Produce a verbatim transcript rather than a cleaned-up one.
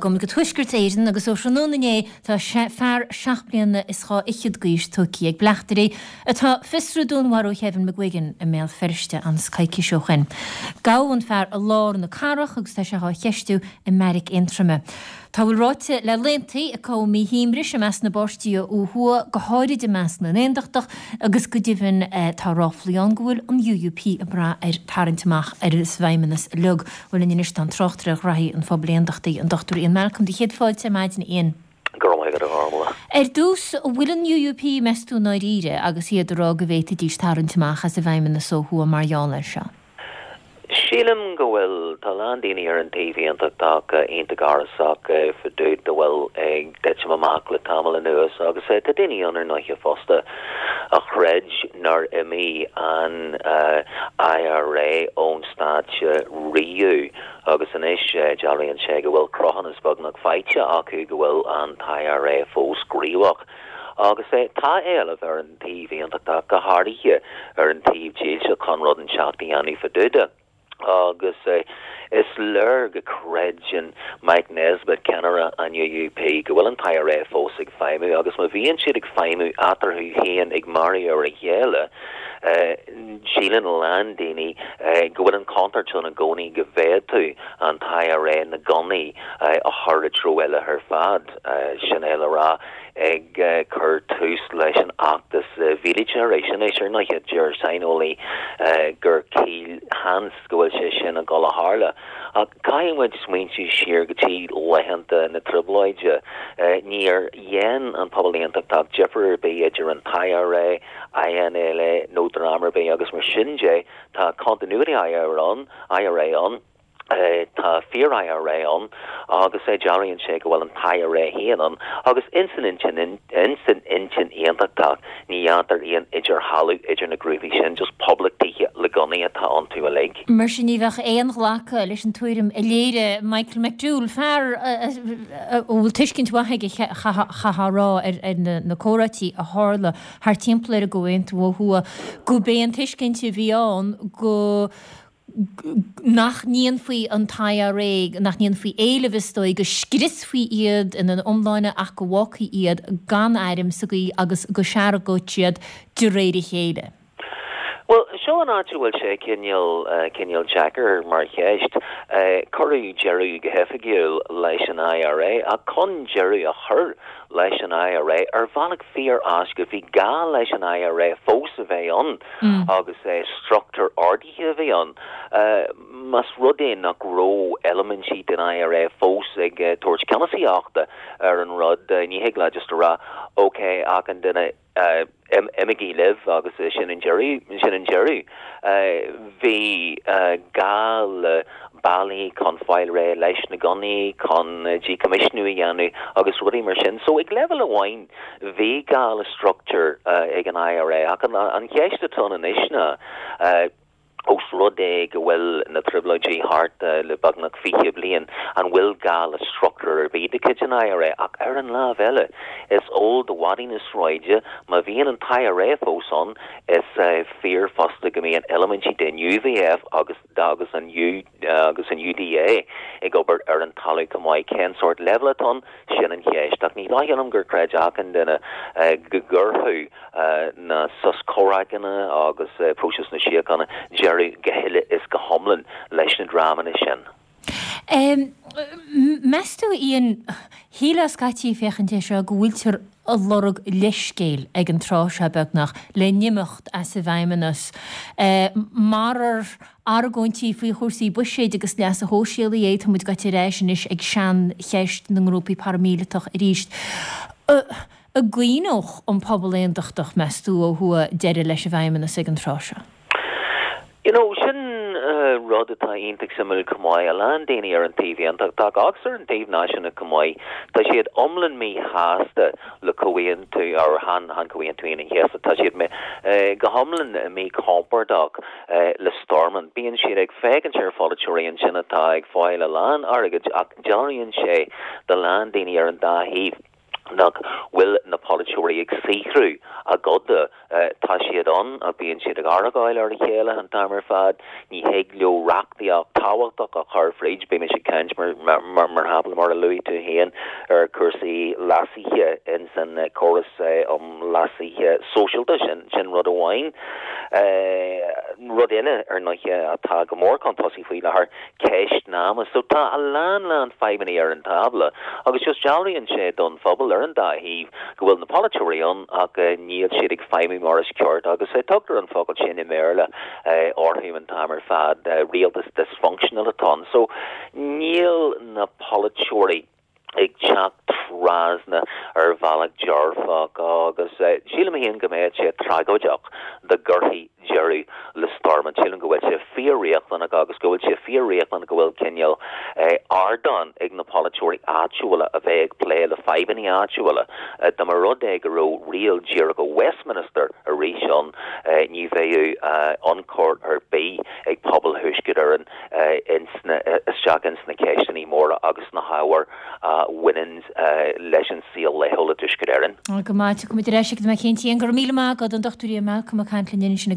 Go go Tuaisceart Éireann agus ó thráthnóna inné tá fear seacht mbliana is dhá fhichead d'aois tógtha ag bleachtairí atá ag fiosrú dúnmharú Kevin McGuigan i mBéal Feirste anois coicís ó shin. Gabhadh an fear i lár na cathrach agus tá sé á cheistiú i mBeairic Aontroma. Tá a bhfuil ráite le laethanta ag cothú míshuaimhnis i measc na bpáirtithe ó thuaidh, go háirid i measc na n-aontachtach agus go deimhin tá ráflaí ann go bhfuil an U U P ag brath ar tarraingt amach as an bhFeidhmeannas uilig. Bhuel linn anois tá an tráchtaire ar ghraithí an phobail aontachtaigh, an Dochtúir Ian Malcolm. Do chéad fáilte ar maidin, Ian. Go raibh maith agat, a Ghormfhlaith. Ar dtús, an bhfuil an U U P, meas tú, i ndáiríre agus iad ag rá go bhféadfaidís tarraingt amach as an bhFeidhmeannas ó thuaidh mar gheall air seo? Sílim go bhfuil. Tá a lán daoine ar an taobh aontachtach iontach amhrasach fá dtaobh dá bhfuil ag titim amach le tamall anuas agus tá daoine ann ar ndóighe fosta a chreid nár imigh an I R A ón stáitse riamh agus anois dealraíonn sé go bhfuil cruthúnas beagnach faighte acu go bhfuil an I R A fós gníomhach. Agus tá éileamh ar an taobh aontachtach, go háirithe ar an taobh dílse, chun rud inteacht a dhéanamh fá dtaobh de. Agus is léir go gcreideann Mike Nesbitt, ceannaire an U U P, go bhfuil an I R A fós ag feidhmiú, agus má bhíonn siad ag feidhmiú eatarthu féin ag marú ar a chéile, síleann a lán daoine go bhfuil an chontúirt ann i gcónaí go bhféadfadh an I R A na gunnaí a chur i dtreo eile ar fad, sin é le rá ag cur tús leis an fheachtas míleata arís. Anois, ar ndóighe, deir saineolaí gur caolsheans go bhfuil sé sin ag dul a tharlú. Ach caithfidh muid smaointiú siar go dtí laethanta na trioblóide. Níor dhein an pobal aontachtach difear ar bith idir an I R A, I N L A nó dream ar bith agus mar sin de tá continuity I R A ann, I R A ann. Tá fíor I R A ann agus é dealraíonn sé go bhfuil an I R A féin ann agus insan intinn insan intinn aontachtach ní dhéantar aon idirdhealú idir na grúpaí sin, just poblachtaithe le gunnaí atá iontu uilig. Mar sin ní bheadh aon ghlacadh leis an tuairim a léirigh Michael McDowell, fear a bhfuil tuiscint mhaith aige, chaithfeá a rá, ar na comhráití a tharla thar timpeall ar an gComhaontú ó thuaidh, gurb é an tuiscint a bhí ann go nach ndéanfaí an I R A, nach ndéanfaí éileamh, is dóigh, go scriosfaí iad ina n-iomláine ach go bhfágfaí iad gan airm sa gcaoi agus go seargódh siad de réir a chéile. Well, seo an áit a bhfuil sé cineál cineál deacair mar cheist. Cuireadh deireadh go hoifigiúil leis an I R A, ach chun deireadh a chur leis an I R A ar bhealach fíor-éasca bhí gá leis an I R A fós a bheith ann agus é struchtúr ordaithe a bhí ann. Más rud é nach raibh eilimintí den I R A fós ag tabhairt ceannasaíochta ar an rud, ní thig leat just a rá, "Ok, ach an duine, imígí libh agus sin an deireadh sin an deireadh." Bhí gá le bealaí chun fáil réidh leis na gunnaí, chun decommissioning a dhéanamh agus rudaí mar sin. So ag leibhéal amháin bhí gá le struchtúr ag an I R A, ach an cheist atá anois ná, ós rud é go bhfuil na trioblóidí thart le beagnach fiche bliain, an bhfuil gá le struchtúr ar bith de chuid an I R A? Ach ar an lámh eile, is eol do mhadaí na sráide, má bhíonn an I R A fós ann, is fíor fosta go mbíonn eilimintí den U V F agus agus an U agus an U D A ag obair ar an talamh chomh maith. Cén sórt leibhéal atá ann, sin an cheist, ach ní dóigh liom gur chreid achan duine go gcuirfeadh na sos comhraic agus próiseas na síochána deireadh go huile is go hiomlán leis na dreamanna sin. Um, Meas tú, Ian, shílfeá scaití féachaint é seo go bhfuiltear ag lorg leithscéil ag an tráth seo beagnach le n-imeacht as an bhFeidhmeannas, Marar argóintí faoi chúrsaí buiséid agus leasa shóisialaigh é, tá muid gaite ar ais anois ag seancheist na ngrúpaí paraimíleatach arís. An gcuimhneodh an pobal aontachtach, meas tú, ó thuaidh deireadh leis an bhFeidhmeannas ag an tráth seo? You know, sin uh, rud atá iontach suimiúil chomh maith. A lán daoine ar an taobh aontachtach agus ar an taobh náisiúnach chomh maith, tá siad iomlán míshásta le comhaontú ar han han Comhaontú an Chéasta. Tá siad me, uh, go hiomlán míchompordach uh, le Stormont. Bíonn siad ag féachaint ar pholaiteoirí ansin atá ag fáil a lán airgid, ach dealraíonn sé do lán daoine ar an dá thaobh Nach bhfuil na polaiteoirí ag saothrú a gcoda tá siad ann a bíonn siad ag argáil ar a chéile an t-am ar fad, ní thig leo reachtaíocht tábhachtach a chur fríd, bímis ag caint mar mar mar shampla mar a luaigh tú féin ar cúrsaí leasuithe in san córas um leasuithe sóisialta sin sin rud amháin. Rud eile ar ndóighe atá go mór chun tosaigh faoi láthair ceist na ama. So tá a lán lán fadhbanna ar an tábla agus just dealraíonn sé don phobal ar an dá thaobh go bhfuil na polaiteoirí ann ach níl siad ag feidhmiú mar is ceart agus tugtar an focal sin i mBéarla orthu an t-am ar fad rialtas dysfunctional atá ann. So níl na polaiteoirí ag teacht trasna ar bhealach dearfach agus sílim féin go mbeadh sé tragóideach dá gcuirfí deireadh le Stormont. Sílim go bhfuil sé fíor-riachtanach agus go bhfuil sé fíor-riachtanach go bhfuil cineál ardán ag na polaiteoirí áitiúla a bheith ag plé le fadhbanna áitiúla. Dá mba rud é go raibh riail díreach ó Westminster arís ann ní bheadh ionchur ar bith ag pobal Thuaisceart Éireann isteach ins na ceisteanna móra agus na hábhair a bhaineann leis an saol laethúil i dTuaisceart Éireann. Go maith go muid leis go mé céintí an gur míle má go an dochtúirí Malcolm a Cantlin sin